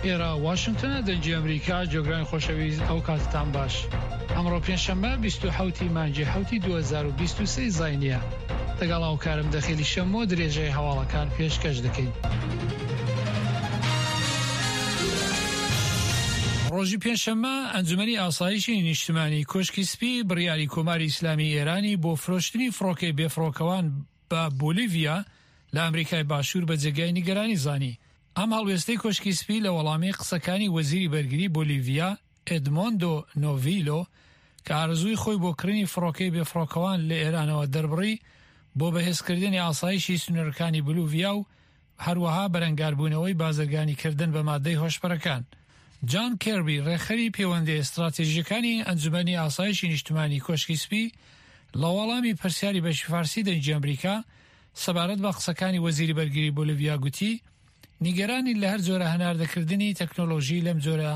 ئێرە واشنتنە دەنگی ئەمریکا جۆگرانی خۆشەویست ئەو کاتتان باش ئەمڕۆ پێنجشەممە 27 ی مانگی حەوتی 2023 زاینیە دەگەڵ هاوکارم دەخیلی شەمۆ درێژەی هەواڵەکان پێشکەش دەکەین. ڕۆژی پێنجشەممە ئەنجومەنی ئاسایشی نیشتمانی کۆشکی سپی بڕیاری کۆماری ئیسلامی ئێرانی بۆ فرۆشتنی فڕۆکەی بێفڕۆکەوان بە بۆلیڤیا لە ئەمریکای باشوور بە جێگای نیگەرانی زانی. ئەم هەڵوێستەی کۆشکی سپی لە وەڵامی قسەکانی وەزیری بەرگری بۆلیڤیا ئێدمۆندۆ نۆڤیلۆ کە ئارەزووی خۆی بۆ کڕینی فڕۆکەی بێفڕۆکەوان لە ئێرانەوە دەربڕی بۆ بەهێزکردنی ئاسایشی سنوورەکانی بولوڤیا و هەروەها بەرەنگاربوونەوەی بازرگانیکردن بە مادەی هۆشبەرەکان. جان کێربی، ڕێکخەری پێوەندییە ستراتیژییەکانی ئەنجومەنی ئاسایشی نیشتمانی کۆشکی سپی، لە وەڵامی پرسیاری بەشی فارسی دەنگی ئەمریکا سەبارەت بە قسەکانی وەزیری بەرگری بۆلیڤیا گوتی، نیگەرانین لە هەر جۆرە هەناردەکردنی تەکنۆلۆژی لەم جۆرە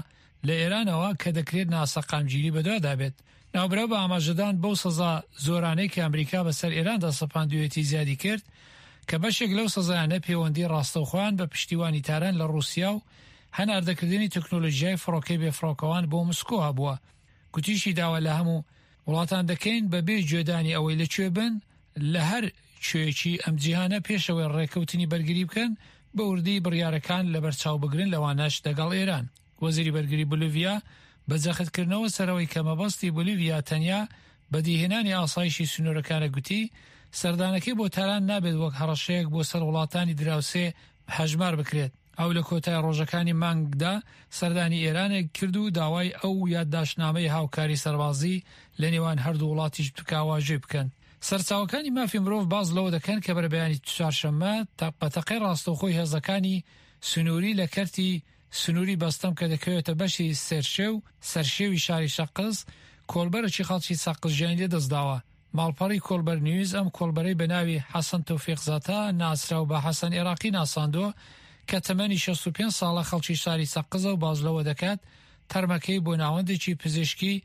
لە ئێرانەوە کە دەکرێت ناسەقامگیری بەدوادا بێت. ناوبراو بە ئاماژەدان بەو سزا زۆرانەی کە ئەمریکا بەسەر ئێراندا سەپاندوویەتی زیادی کرد کە بەشێک لەو سزایانە پێوەندی ڕاستەوخۆیان بە پشتیوانی تاران لە ڕووسیا و هەناردەکردنی تەکنۆلۆژیای فڕۆکەی بێفڕۆکەوان بۆ مسکۆ هەبووە. گوتیشی داوا لە هەموو وڵاتان دەکەین بە بێ گوێدانی ئەوەی لە کوێ بن لە هەر کوێیەکی ئەم جیهانە پێش ئەوەی ڕێکەوتنی بەرگری بکەن بە وردی بڕیارەکان لەبەرچاو بگرن لەوانەش دەگەڵ ئێران. وەزیری بەرگری بولیڤیا بە جەختکردنەوە سەرەوەی کە مەبەستی بولیڤیا تەنیا بەدیهێنانی ئاسایشی سنوورەکانە گوتی، سەردانەکەی بۆ تاران نابێت وەک هەڕەشەیەک بۆ سەر وڵاتانی دراوسێ هەژمار بکرێت. ئەو لە کۆتای ڕۆژەکانی مانگدا سەردانی ئێرانێک کرد و داوای ئەو یادداشتنامەی هاوکاری سەربازی لە نێوان هەردوو وڵاتیش بکا واژۆی بکەن. سەرچاوەکانی مافی مرۆڤ باس لەوە دەکەن کە بەرەبەیانی چوارشەممە بە تەقەی ڕاستەوخۆی هێزەکانی سنووری لە کەرتی سنووری بەستەم کە دەکەوێتە بەشی سێرشێو سەرشێوی شاری سەقز، کۆڵبەرێکی خەڵکی سەقز گیانی لەدەستداوە. ماڵپەڕی کۆڵبەر نیوز ئەم کۆڵبەرەی بە ناوی حەسەن تۆفیق زاتە ناسراو بە حەسەن ئێراقی ناساندووە کە تەمەنی 65 ساڵە خەڵکی شاری سەقزە و باس لەوە دەکات تەرمەکەی بۆ ناوەندێکی پزیشکی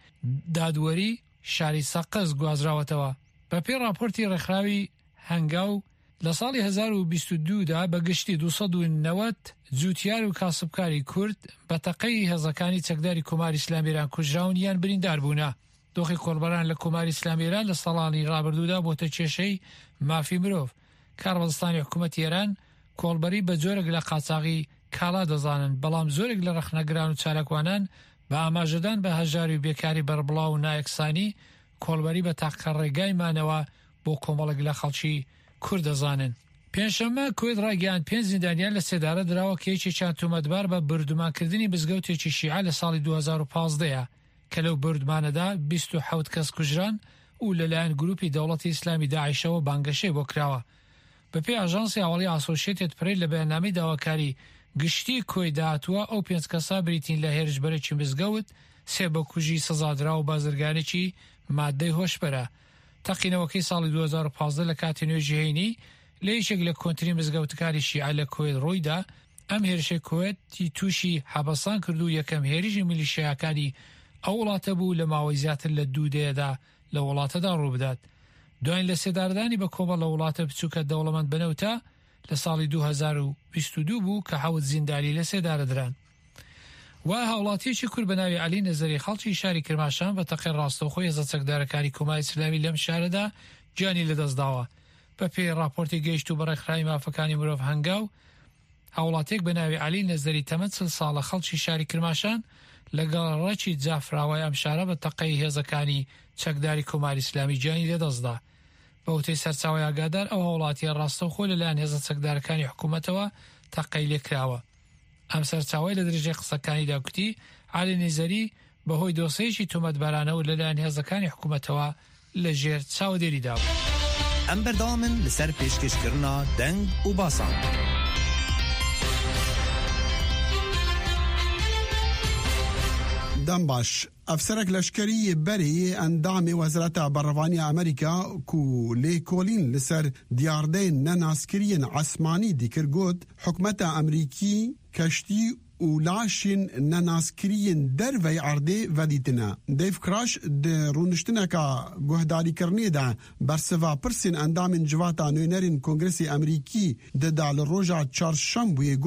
دادوەری شاری سەقز گوازراوەتەوە. بەپێی ڕاپۆرتی ڕێکخراوی هەنگاو، لە ساڵی 1022 دا بە گشتی 290 جووتیار و کاسبکاری کورد بە تەقەی هێزەکانی چەکداری کۆماری ئیسلامی ئێران کوژراون یان بریندار بوونە. دۆخی کۆڵبەران لە کۆماری ئیسلامی ئێران لە ساڵانی ڕابردوودا بۆتە کێشەی مافی مرۆڤ. کاربەدەستانی حکوومەتی ئێران کۆڵبەری بە جۆرێک لە قاچاغی کاڵا دەزانن، بەڵام زۆرێک لە ڕەخنەگران و چالاکوانان بە ئاماژەدان بە هەژاری و بێکاری بەربڵاو و نایەکسانی، کۆڵبەری بە تاقە ڕێگای مانەوە بۆ کۆمەڵێک لە خەڵکی کورد دەزانن. پێنجشەممە، کوێت ڕایگەیاند پێنج زیندانیان لە سێدارە دراوە کە یەکێکیان تۆمەتبار بە بۆردومانکردنی مزگەوتێکی شیعە لە ساڵی 2015 ە کە لەو بۆردمانەدا 27 کەس کوژران و لەلایەن گروپی دەوڵەتی ئیسلامی داعشەوە بانگەشەی بۆ کراوە. بەپێی ئاژانسی هەواڵی ئاسۆشێتێد پرێس لە بەیاننامەی داواکاری گشتی کوەیتدا هاتووە، ئەو پێنج کەسە بریتین لە هێرشبەرێکی مزگەوت، سێ بکوژی سزادراو و بازرگانێکی ماددەی هۆشبەرە. تەقینەوەکەی ساڵی 2015 لە کاتی نوێژی هەینی لە یەکێک لە کۆنترین مزگەوتەکانی شیعە لە کوەیت ڕوویدا، ئەم هێرشەی کوەیتی تووشی حەپەسان کرد و یەکەم هێرشی میلیشیاکانی ئەو وڵاتە بوو لە ماوەی زیاتر لە دوو دەیەدا لە وڵاتەدا ڕووبدات. دوایین لەسێدارەدانی بە کۆمەڵ لە وڵاتە بچووکە دەوڵەمەند بە نەوتە لە ساڵی 2022 بوو کە حەوت زیندانی لەسێدارەدران. و هاوڵاتییەکی کورد بە ناوی عەلی نەزەری خەڵکی شاری کرماشان بە تەقەی ڕاستەوخۆی هێزە چەکدارەکانی کۆماری ئیسلامی لەم شارەدا گیانی لەدەستداوە. بەپێی ڕاپۆرتی گەیشتوو بە ڕێکخراوی مافەکانی مرۆڤ هەنگاو، هاوڵاتیەک بە ناوی عەلی نەزەری تەمەن 40 ساڵە خەڵکی شاری کرماشان لە گەڕەکی جافراوای ئەم شارە بە تەقەی هێزەکانی چەکداری کۆماری ئیسلامی گیانی لەدەستدا. بە وتەی سەرچاوەی ئاگادار ئەو هاوڵاتیە ڕاستەوخۆ لەلایەن هێزە چەکدارەکانی حکوومەتەوە تەقەی لێکراوە. ئەم سەرچاوەیە لە درێژەی قسەکانیدا گوتی، عەلی نیزەری بەهۆی دۆسێیەکی تۆمەتبارانەوە لەلایەن هێزەکانی حکوومەتەوە لەژێر چاودێریدا بوو. ئەم بەردەوامن لەسەر پێشکێشکردنا دەنگ و باسان. دەم باش. ئەفسەرەک لەشکەری یê berê yê endamê Wezareta Berevaniya Amerîka ku lêkolîn li ser diyardeyên nenaskiriyên esmanî dikir got, Hikûmeta Amerîkî keştî û laşên nenaskiriyên dervey erdê vedîtine. Dave Crash di rûniştineka guhdarîkirinê de bersiva pirsên endamên civata nûnerên Kongresê Amerîkî dida li roja çarşembûyê got.